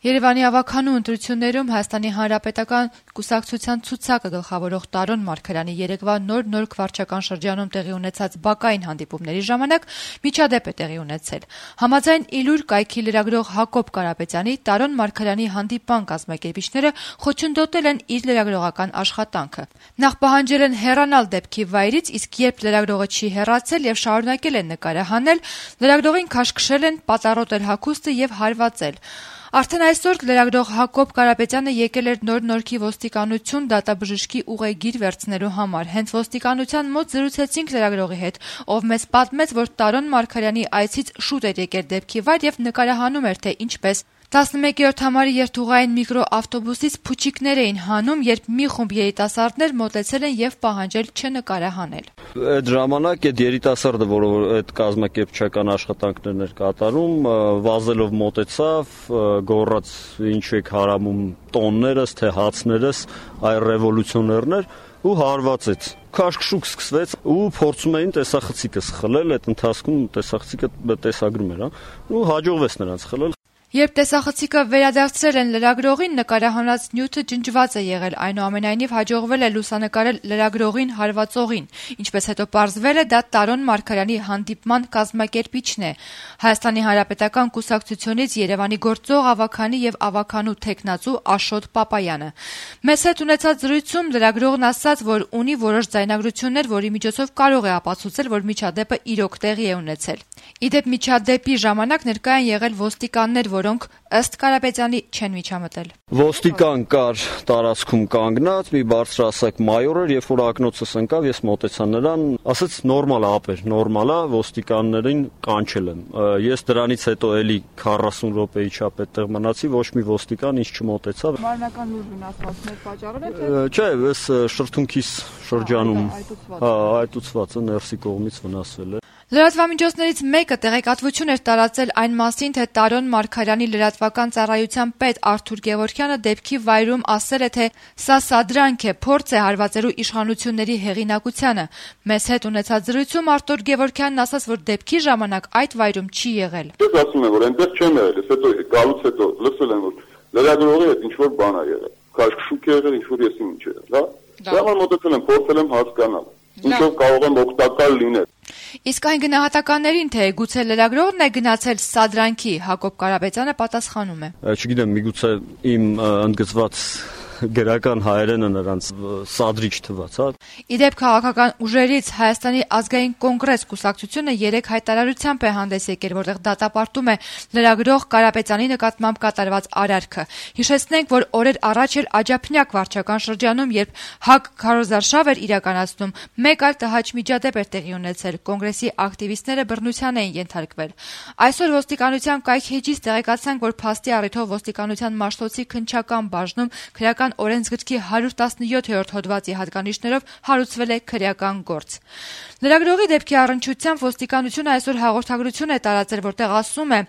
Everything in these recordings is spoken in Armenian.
Երևանի ավագանու ընտրություններում Հայաստանի Հանրապետական կուսակցության ցուցակը գլխավորող Տարոն Մարգարյանի երեկվա նոր քվարչական շրջանում տեղի ունեցած բակային հանդիպումների ժամանակ միջադեպ է տեղի ունեցել։ Համաձայն Իլուր կայքի լրագրող Հակոբ Կարապետյանի, Տարոն Մարգարյանի հանդիպման կազմակերպիչները խոչընդոտել են իր լրագրողական աշխատանքը։ Նախ պահանջել են հեռանալ դեպքի վայրից, իսկ երբ լրագրողը չի հեռացել եւ շարունակել են նկարահանել, լրագրողին քաշքշել են, պատառոտել հագուստը եւ հարվածել։ Արդեն այսօր լրագրող Հակոբ Կարապետյանը եկել էր Նոր-Նորքի ոստիկանություն դատաբժշկի ուղեգիր վերցնելու համար։ Հենց ոստիկանության մոտ զրուցեցինք լրագրողի հետ, ով մեզ պատմեց, որ Տարոն Մարգարյանի այցից շուտ էր եկել դեպքի վայր եւ նկարահանում էր, թե ինչպես 11-րդ համարի երթուղային միկրոավտոբուսից փուչիկներ էին հանում, երբ մի խումբ երիտասարդներ մոտեցել են եւ պահանջել չնկարահանել։ Այդ ժամանակ այդ երիտասարդը, որը այդ կազմակերպչական աշխատանքներն էր կատարում, վազելով մոտեցավ, գոռաց ինչ եք հարամում տոններս, թե հացներս, այ ռևոլյուցիոներներ ու հարվածեց։ Քաշքշուկ սկսվեց ու փորձում էին տեսախցիկը խլել, այդ ընթացքում տեսախցիկը տեսագրում էր, ու հաջողվեց նրանց խլել։ Երբ տեսախցիկը վերադարձրել են լրագրողին, նկարահանած նյութը ջնջված է եղել, այնուամենայնիվ հաջողվել է լուսանկարել լրագրողին հարվածողին։ Ինչպես հետո պարզվել է, դա Տարոն Մարգարյանի հանդիպման կազմակերպիչն է։ Հայաստանի Հանրապետական կուսակցությունից Երևանի գործող ավագանի եւ ավագանու թեկնածու Աշոտ Պապայանը։ Մեզ հետ ունեցած զրույցում լրագրողն ասաց, որ ունի որոշ ձայնագրություններ, որի միջոցով կարող է ապացուցել, որ միջադեպը իրոք տեղի է ունեցել։ Իդեպ միջադեպի ժամանակ ներկա են եղել ոստիկաններ, որոնք ըստ Կարապետյանի չեն միջամտել։ Ոստիկան կար տարածքում կանգնած, մի բարձրահասակ մայոր էր, երբ որ ակնոցս ընկավ, ես մոտեցա նրան, ասաց նորմալ է, ապեր, նորմալ է, ոստիկաններին կանչել եմ։ Ես դրանից հետո էլի 40 րոպեի չափ այդտեղ մնացի, ոչ մի ոստիկան ինձ չմոտեցավ։ Մարմնական լուր վնասվածքներ պատճառել եք, թե։ Չէ, ես շրթունքիս շրջանում, այտուցված է, ներսի կողմից վնասվել է։ Լրատվամիջոցներից մեկը տեղեկատվություն էր տարածել այն մասին, թե Տարոն Մարգարյանի լրատվական ծառայության պետ Արթուր Գևորգյանը դեպքի վայրում ասել է, թե սա սադրանք է, փորձ է հարվածելու իշխանությունների հեղինակությանը։ Մեզ հետ ունեցած զրույցում Արթուր Գևորգյանն ասաց, որ դեպքի ժամանակ այդ վայրում չի եղել։ Ես ասում եմ, որ այնտեղ չեմ եղել, ես հետո գալուց հետո լսել եմ, որ լրագրողի հետ ինչ-որ բան է եղել։ Քաշքշուկ է եղել, ինչ-որ ես ինչ եղել, հա։ Դա մոտեցել եմ, փորձել եմ հասկանալ։ Ինչով կարող եմ օգտակար լինել։ Իսկ այն գնահատականներին, թե գուցե լրագրողն է գնացել սադրանքի, Հակոբ Կարապետյանը պատասխանում է։ Չգիտեմ, միգուցե իմ ընդգծված գրական հայերենը նրանց սադրիչ թվաց, հա։ Իդեպ քաղաքական ուժերից Հայաստանի ազգային կոնգրես կուսակցությունը 3 հայտարարությամբ է հանդես եկել, որտեղ դատապարտում է լրագրող Կարապետյանի նկատմամբ կատարված արարքը։ Հիշեցնենք, որ օրեր առաջ էր Աջափնյակ վարչական շրջանում, երբ ՀԱԿ քարոզարշավ էր իրականացնում, մեկ այլ տհաճ միջադեպ էր տեղի ունեցել, կոնգրեսի ակտիվիստները բռնության էին ենթարկվել։ Այսօր ոստիկանության կայքեջից տեղեկացանք, որ փաստի առիթով ոստիկանության Մաշտոցի քննչական բաժնում քրեական օրենսգրքի 117-րդ հոդվածի հատկանիշներով հարուցվել է քրեական գործ։ Լրագրողի դեպքի առնչությամբ ոստիկանությունը այսօր հաղորդագրություն է տարածել, որտեղ ասում է.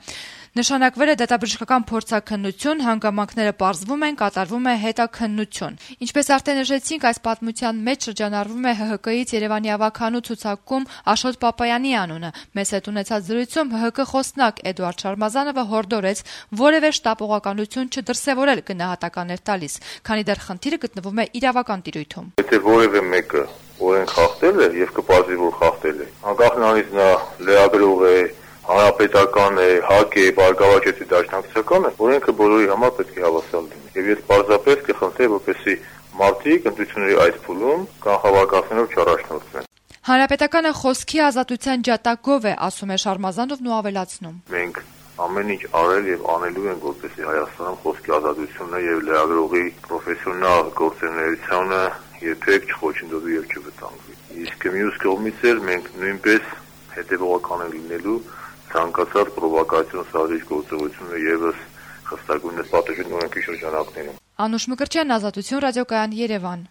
նշանակվել է դատաբժշկական փորձաքննություն, հանգամանքները պարզվում են, կատարվում է հետաքննություն։ Ինչպես արդեն նշեցինք, այս պատմության մեջ շրջանառվում է ՀՀԿ-ից Երևանի ավագանու ցուցակում Աշոտ Պապայանի անունը։ Մեզ հետ ունեցած զրույցում ՀՀԿ խոսնակ Էդուարդ Շարմազանովը հորդորեց որևէ շտապողականություն չդրսևորել գնահատականներ տալիս, քանի դեռ խնդիրը գտնվում է իրավական տիրույթում։ Եթե որևէ մեկը օրենք խախտել է եւ կպարզվի, որ խախտել է, անկախ նրանից նա լրագրող է, հանրապետական է, ՀԱԿ է, Բարգավաճ դաշնակցական է, օրենքը բոլորի համար պետք է հավասար լինի։ Եվ ես պարզապես կխնդրեի, որպեսզի մարդիկ ընտրությունների այդ փուլում կանխավարկածներով չառաջնորդվեն։ Հանրապետականը խոսքի ազատության ջատագով է, ասում է Շարմազանովն ու ավելացնում։ Մենք ամեն ինչ արել եւ անելու ենք, որպեսզի Հայաստանում խոսքի ազատությունը եւ լրագրողի պրոֆեսիոնալ գործունեությունը երբեք չխոչընդոտվի եւ չվտանգվի։ Իսկ մյուս կողմից էլ մենք նույնպես հետեւողական ենք լինելու ցանկացած պրովոկացիոն սադրիչ գործողությունը եւս խստագույնս պատժեն օրենքի շրջանակներում։ Անուշ Մկրտչյան, Ազատություն ռադիոկայան, Երևան։